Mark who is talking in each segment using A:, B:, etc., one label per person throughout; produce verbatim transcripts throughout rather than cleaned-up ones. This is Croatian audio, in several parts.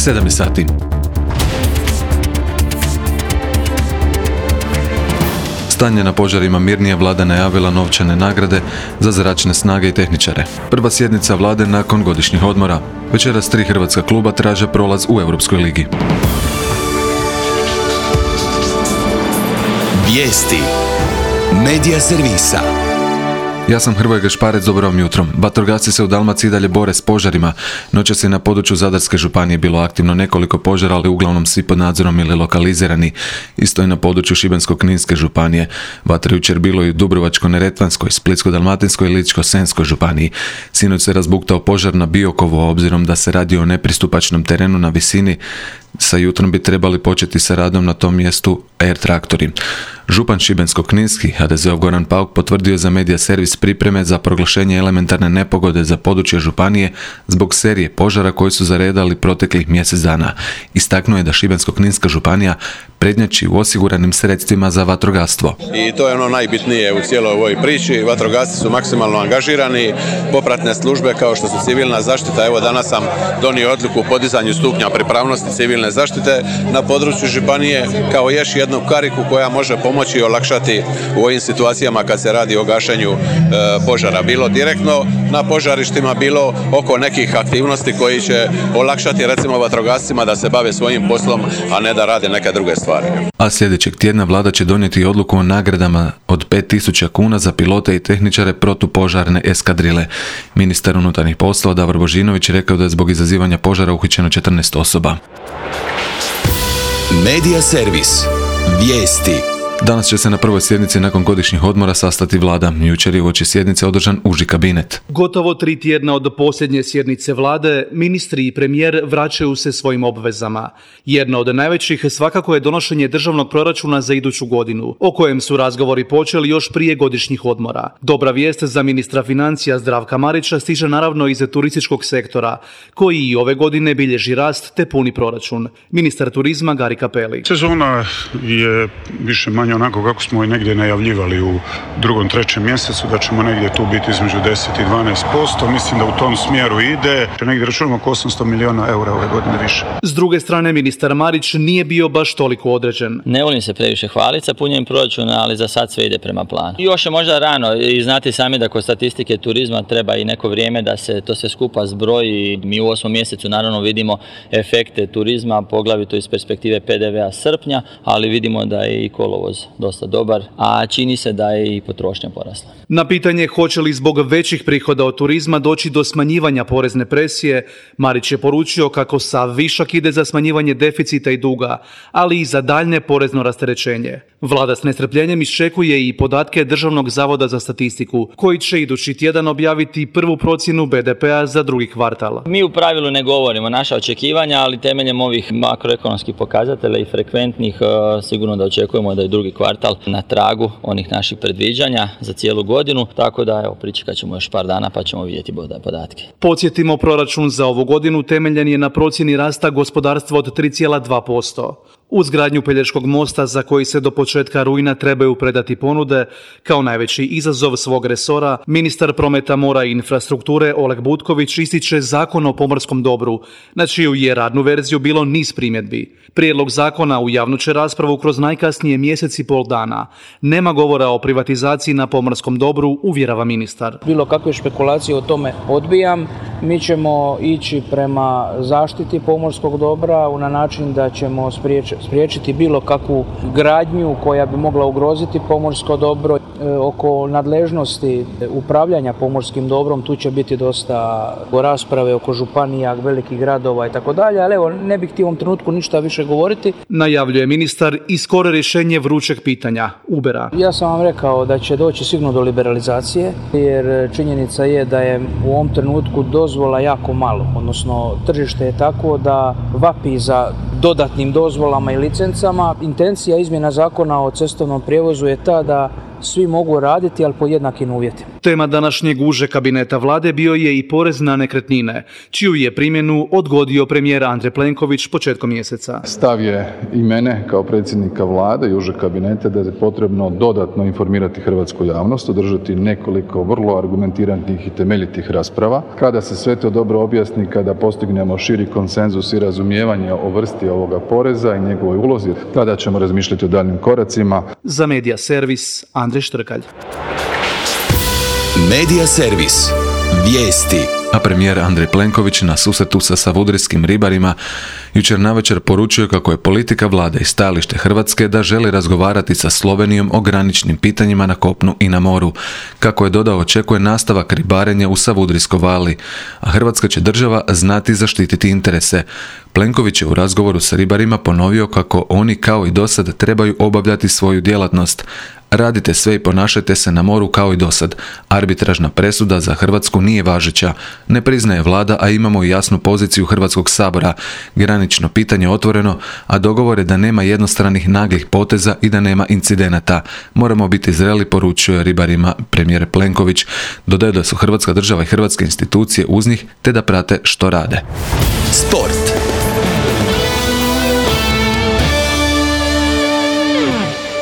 A: sedam je sati. Stanje na požarima mirnije, vlada najavila novčane nagrade za zračne snage i tehničare. Prva sjednica vlade nakon godišnjih odmora. Večeras tri hrvatska kluba traže prolaz u Europskoj ligi.
B: Vijesti Medija servisa.
A: Ja sam Hrvoje Gašparec, dobro vam jutrom. Vatrogasci se u Dalmaciji dalje bore s požarima. Noćas je na području Zadarske županije bilo aktivno nekoliko požara, ali uglavnom svi pod nadzorom ili lokalizirani. Isto je na području Šibensko-kninske županije. Vatra jučer bilo i u Dubrovačko-neretvanskoj, Splitsko-dalmatinskoj i Ličko-senjskoj županiji. Sinoć se razbuktao požar na Biokovu, obzirom da se radi o nepristupačnom terenu na visini. Sa jutrom bi trebali početi sa radom na tom mjestu air traktori. Župan Šibensko-kninski, ha de zeov Goran Pauk, potvrdio za Medija servis pripreme za proglašenje elementarne nepogode za područje županije zbog serije požara koji su zaredali proteklih mjesec dana. Istaknuo je da Šibensko-kninska županija prednjači u osiguranim sredstvima za vatrogastvo.
C: I to je ono najbitnije u cijeloj ovoj priči. Vatrogasci su maksimalno angažirani, popratne službe kao što su civilna zaštita. Evo danas sam donio odluku o podizanju stupnja pripravnosti civilne zaštite na području županije kao još jednu kariku koja može pomoći i olakšati u ovim situacijama kad se radi o gašenju e, požara. Bilo direktno na požarištima, bilo oko nekih aktivnosti koji će olakšati recimo vatrogascima da se bave svojim poslom, a ne da rade neke druge stvari.
A: A sljedećeg tjedna vlada će donijeti odluku o nagradama od pet tisuća kuna za pilote i tehničare protupožarne eskadrile. Ministar unutarnjih poslova Davor Božinović rekao da je zbog izazivanja požara uhićeno četrnaest osoba.
B: Medija servis. Vijesti.
A: Danas će se na prvoj sjednici nakon godišnjih odmora sastati vlada. Jučer je uoči sjednice održan uži kabinet.
D: Gotovo tri tjedna od posljednje sjednice vlade, ministri i premijer vraćaju se svojim obvezama. Jedna od najvećih svakako je donošenje državnog proračuna za iduću godinu, o kojem su razgovori počeli još prije godišnjih odmora. Dobra vijest za ministra financija Zdravka Marića stiže naravno iz turističkog sektora, koji i ove godine bilježi rast te puni proračun. Ministar turizma Gari Cappelli.
E: Sezona je više manje onako kako smo i negdje najavljivali u drugom, trećem mjesecu, da ćemo negdje tu biti između deset i dvanaest posto. Mislim da u tom smjeru ide. Negdje računamo oko osamsto milijuna eura ove godine više.
D: S druge strane, ministar Marić nije bio baš toliko određen.
F: Ne volim se previše hvaliti sa punjenjem proračuna, ali za sad sve ide prema planu. Još je možda rano i znate sami da kod statistike turizma treba i neko vrijeme da se to sve skupa zbroji. Mi u osmom mjesecu naravno vidimo efekte turizma, poglavito iz perspektive pe de vea srpnja, ali vidimo da je i kolovoz dosta dobar, a čini se da je i potrošnja porasla.
D: Na pitanje hoće li zbog većih prihoda od turizma doći do smanjivanja porezne presije, Marić je poručio kako sav višak ide za smanjivanje deficita i duga, ali i za daljnje porezno rasterećenje. Vlada s nestrpljenjem iščekuje i podatke Državnog zavoda za statistiku, koji će idući tjedan objaviti prvu procjenu be de pea za drugi kvartal.
F: Mi u pravilu ne govorimo naša očekivanja, ali temeljem ovih makroekonomskih pokazatelja i frekventnih sigurno da očekujemo da je drugi kvartal na tragu onih naših predviđanja za cijelu godinu, tako da evo pričekat ćemo još par dana pa ćemo vidjeti podatke.
D: Podsjetimo, proračun za ovu godinu temeljen je na procjeni rasta gospodarstva od tri zarez dva posto. Uz gradnju Pelješkog mosta, za koji se do početka rujna trebaju predati ponude, kao najveći izazov svog resora, ministar prometa, mora i infrastrukture Oleg Butković ističe Zakon o pomorskom dobru, na čiju je radnu verziju bilo niz primjedbi. Prijedlog zakona u javnu će raspravu kroz najkasnije mjesec i pol dana. Nema govora o privatizaciji na pomorskom dobru, uvjerava ministar.
G: Bilo kakve špekulacije o tome odbijam. Mi ćemo ići prema zaštiti pomorskog dobra na način da ćemo spriječiti spriječiti bilo kakvu gradnju koja bi mogla ugroziti pomorsko dobro. E, oko nadležnosti upravljanja pomorskim dobrom tu će biti dosta rasprave oko županija, velikih gradova i tako dalje, ali evo ne bih htio u ovom trenutku ništa više govoriti.
D: Najavljuje ministar i skoro rješenje vrućeg pitanja Ubera.
G: Ja sam vam rekao da će doći sigurno do liberalizacije, jer činjenica je da je u ovom trenutku dozvola jako malo, odnosno tržište je tako da vapi za dodatnim dozvolama i licencama. Intencija izmjena zakona o cestovnom prijevozu je ta da svi mogu raditi, ali pod jednakim uvjetima.
D: Tema današnjeg užeg kabineta vlade bio je i porez na nekretnine, čiju je primjenu odgodio premijer Andrej Plenković početkom mjeseca.
H: Stav je i mene kao predsjednika vlade i užeg kabineta da je potrebno dodatno informirati hrvatsku javnost, održati nekoliko vrlo argumentiranih i temeljitih rasprava. Kada se sve to dobro objasni, kada postignemo širi konsenzus i razumijevanje o vrsti ovoga poreza i njegovoj ulozi, tada ćemo razmišljati o daljnjim koracima.
D: Za Medija servis, Andrej Štrkalj.
B: Medija servis. Vijesti.
A: A premijer Andrej Plenković na susretu sa savudrijskim ribarima jučer navečer poručio kako je politika vlade i stajalište Hrvatske da želi razgovarati sa Slovenijom o graničnim pitanjima na kopnu i na moru. Kako je dodao, očekuje nastavak ribarenja u Savudrijskoj vali, a Hrvatska će država znati zaštititi interese. Plenković je u razgovoru sa ribarima ponovio kako oni kao i dosad trebaju obavljati svoju djelatnost. Radite sve i ponašajte se na moru kao i dosad. Arbitražna presuda za Hrvatsku nije važeća. Ne priznaje vlada, a imamo i jasnu poziciju Hrvatskog sabora. Granično pitanje otvoreno, a dogovor je da nema jednostranih naglih poteza i da nema incidenata. Moramo biti zreli, poručuje ribarima premijer Plenković. Dodaje da su Hrvatska država i hrvatske institucije uz njih, te da prate što rade.
B: Sport.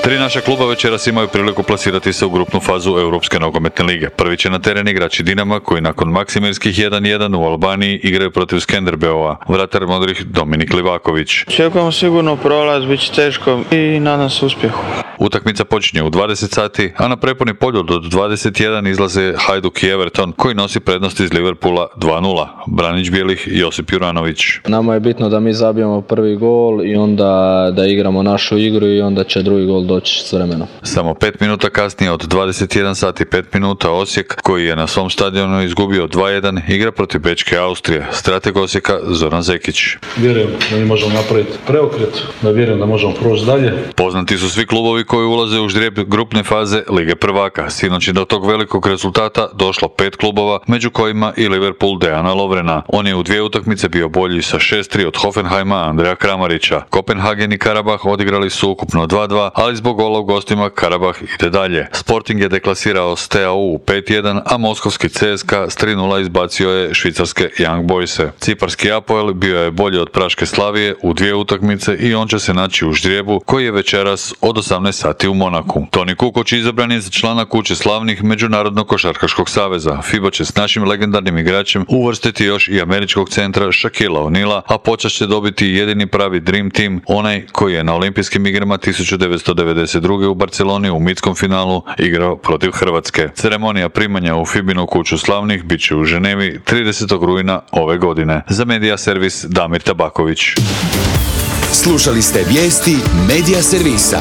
I: Tri naša kluba večeras imaju priliku plasirati se u grupnu fazu Europske nogometne lige. Prvi će na teren igrači Dinama, koji nakon maksimirskih jedan jedan u Albaniji igraju protiv Skenderbeova. Vratar modrih Dominik Livaković.
J: Čekamo sigurno prolaz, bit će teško i nadam se uspjehu.
I: Utakmica počinje u dvadeset sati, a na prepuni poljud od dvadeset jedan izlaze Hajduk i Everton, koji nosi prednost iz Liverpoola dva nula. Branić bijelih Josip Juranović.
K: Nama je bitno da mi zabijemo prvi gol i onda da igramo našu igru i onda će drugi gol doći s vremenom.
I: Samo pet minuta kasnije, od dvadeset jedan sati i pet minuta, Osijek, koji je na svom stadionu izgubio dva jedan, igra protiv Bečke Austrije. Strateg Osijeka Zoran Zekić.
L: Vjerujem da mi možemo napraviti preokret, da vjerujem da možemo proći dalje.
I: Poznati su svi klubovi koji ulaze u ždrijeb grupne faze Lige prvaka. Sinoć je do tog velikog rezultata došlo pet klubova, među kojima i Liverpool Dejana Lovrena. On je u dvije utakmice bio bolji sa šest tri od Hoffenheima Andreja Kramarića. Kopenhagen i Karabah odigrali su ukupno dva dva, ali zbog gola u gostima Karabah ide dalje. Sporting je deklasirao S T A U u pet jedan, a moskovski C S K A s tri nula izbacio je švicarske Young Boyse. Ciparski Apoel bio je bolji od Praške Slavije u dvije utakmice i on će se naći u ždrijebu koji je večeras od osamnaest sati u Monaku. Toni Kukoč izabran je za člana Kuće slavnih Međunarodnog košarkaškog saveza. FIBA će s našim legendarnim igračem uvrstiti još i američkog centra Shaquilla O'Neala, a počast će dobiti jedini pravi Dream Team, onaj koji je na olimpijskim igrama tisuću devetsto devedeset druge u Barceloni u mitskom finalu igrao protiv Hrvatske. Ceremonija primanja u FIBinu Kuću slavnih bit će u Ženevi tridesetog rujna ove godine. Za Medija servis Damir Tabaković.
B: Slušali ste vijesti Medija servisa.